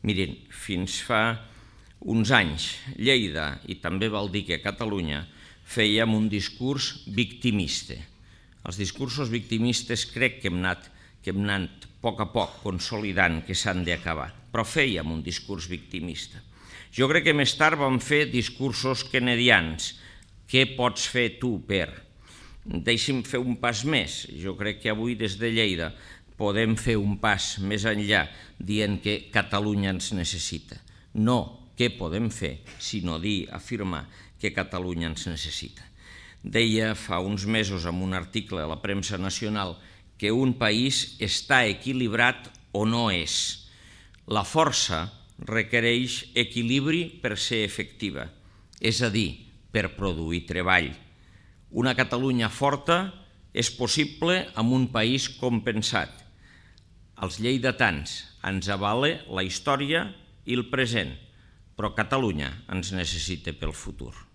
Miren, fins fa uns anys, Lleida, i també val dir que Catalunya, fèiem un discurs victimista. Els discursos victimistes crec que hem anat a poc consolidant que s'han d'acabar, però fèiem un discurs victimista. Jo crec que més tard vam fer discursos kennedians. Què pots fer tu per? Deixi'm fer un pas més. Jo crec que avui des de Lleida podem fer un pas més enllà dient que Catalunya ens necessita. No què podem fer, sinó dir, afirmar que Catalunya ens necessita. Deia fa uns mesos en un article a la premsa nacional que un país està equilibrat o no és. La força requereix equilibri per ser efectiva, és a dir, per produir treball. Una Catalunya forta és possible amb un país compensat. Els lleidatans ens avala la història i el present, però Catalunya ens necessita pel futur.